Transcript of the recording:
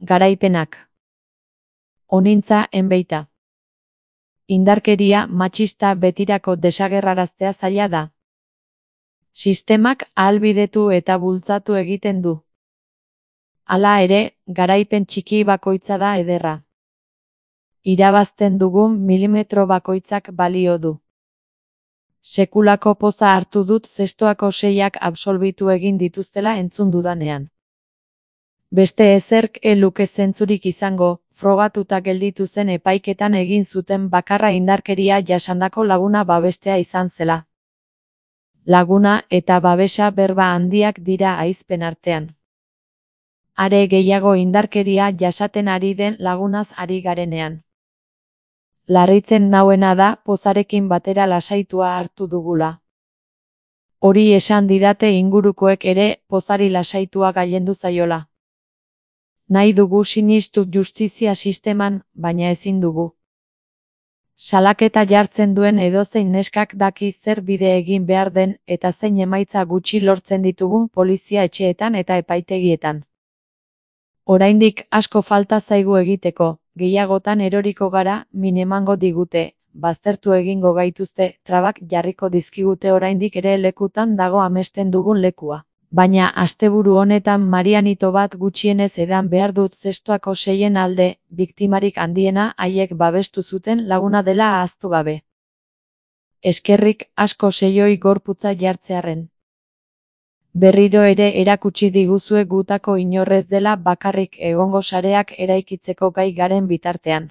Garaipenak. Onintza enbeita. Indarkeria matxista betirako desagerraraztea zaila da. Sistemak ahalbidetu eta bultzatu egiten du. Hala ere, garaipen txiki bakoitza da ederra. Irabazten dugun milimetro bakoitzak balio du. Sekulako poza hartu dut zestoako 6ak absolbitu egin dituztela entzun dudanean. Beste ezerk luke zentzurik izango, frogatuta gelditu zen epaiketan egin zuten bakarra indarkeria jasandako laguna babestea izan zela. Laguna eta babesa berba handiak dira ahizpen artean. Are gehiago indarkeria jasaten ari den lagunaz ari garenean. Larritzen nauena da pozarekin batera lasaitua hartu dugula. Hori esan didate ingurukoek ere pozari lasaitua gailendu zaiola. Nahi dugu sinistu justizia sisteman, baina ezin dugu. Salaketa jartzen duen edozein neskak daki zer bide egin behar den eta zein emaitza gutxi lortzen ditugun polizia etxeetan eta epaitegietan. Oraindik asko falta zaigu egiteko, gehiagotan eroriko gara, min emango digute, baztertu egingo gaituzte, trabak jarriko dizkigute oraindik ere lekutan dago amesten dugun lekua. Baina asteburu honetan Marianito bat gutxienez edan behar dut zestoako 6en alde, biktimarik handiena haiek babestu zuten laguna dela ahaztu gabe. Eskerrik asko seioi gorputza jartzearren. Berriro ere erakutsi diguzue gutako inorrez dela bakarrik egongo sareak eraikitzeko gai garen bitartean.